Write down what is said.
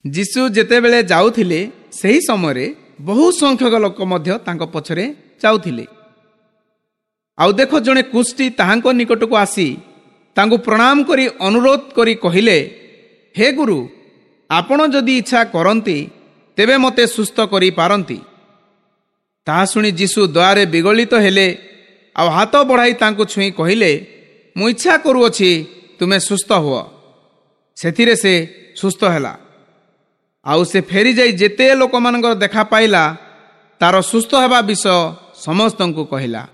ଯୀଶୁ ଯେତେବେଳେ ଯାଉଥିଲେ, ସେହି ସମୟରେ ବହୁ ସଂଖ୍ୟକ ଲୋକ ମଧ୍ୟ ତାଙ୍କ ପଛରେ ଯାଉଥିଲେ। ଆଉ ଦେଖ, ଜଣେ କୁଷ୍ଠି ତାହାଙ୍କ ନିକଟକୁ ଆସି ତାଙ୍କୁ ପ୍ରଣାମ କରି ଅନୁରୋଧ କରି କହିଲେ, ହେ ଗୁରୁ, ଆପଣ ଯଦି ଇଚ୍ଛା କରନ୍ତି ତେବେ ମୋତେ ସୁସ୍ଥ କରିପାରନ୍ତି। ତାହା ଶୁଣି ଯୀଶୁ ଦୟାରେ ବିଗଳିତ ହେଲେ ଆଉ ହାତ ବଢ଼ାଇ ତାଙ୍କୁ ଛୁଇଁ କହିଲେ, ମୁଁ ଇଚ୍ଛା କରୁଅଛି, ତୁମେ ସୁସ୍ଥ ହୁଅ। ସେଥିରେ ସେ ସୁସ୍ଥ ହେଲା। ଆଉ ସେ ଫେରିଯାଇ ଯେତେ ଲୋକମାନଙ୍କର ଦେଖା ପାଇଲା, ତାର ସୁସ୍ଥ ହେବା ବିଷୟ ସମସ୍ତଙ୍କୁ କହିଲା।